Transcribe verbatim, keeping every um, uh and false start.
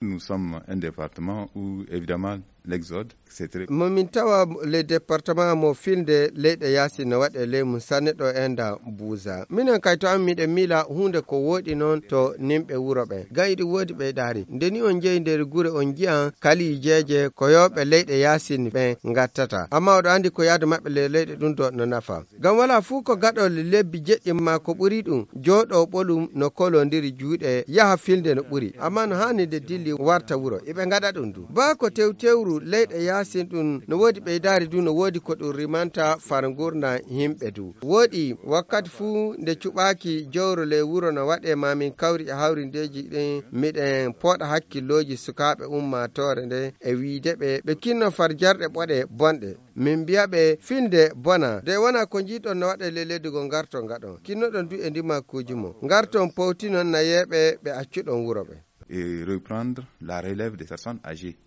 Nous sommes un département où évidemment l'exode c'est très momin tawa le département mo filde leyɗe yaasi no waɗe ley mum sanne ɗo enda buusa minen kay to an miɗen mila hunde ko woɗi noon to nimɓe wuro ɓe gam iɗi woodi ɓeydari ndeni on jeeyi nder gure on jiyan kalijeje ko yowɓe leyɗe yasin ɓe gattata amma oɗo andi ko yaadu maɓɓe le leyɗe ɗum do no nafa gam wala fuu ko gaɗol lebbi jeɗɗi ma ko ɓuri ɗum jooɗo ɓolum no kolodiri juuɗe yaha filde no ɓuri amma no hani de dilli warta wuro eɓe gaɗa ɗum du ba ko tew tewru leyɗe yasin ɗum no woodi ɓeydari du no woodi ko ɗum rimanta far gurna himɓe du woodi wakkati fuu nde cuɓaki jowro le wuro no waɗe mamin kawri e hawrindeji ɗin miɗen pooɗa hakkilloji sukaɓe ummatore nde e wiide ɓe ɓe kinno far jarɗe ɓoɗe bonɗe min mbiyaɓe finde bona de wona ko jiiɗon no waɗe le leydi go garton gaɗon kinnoɗon du e ndimakkuji mo garton powtinon nayeɓe ɓe accuɗon wuro ɓe et reprendre la relève des personnes âgées.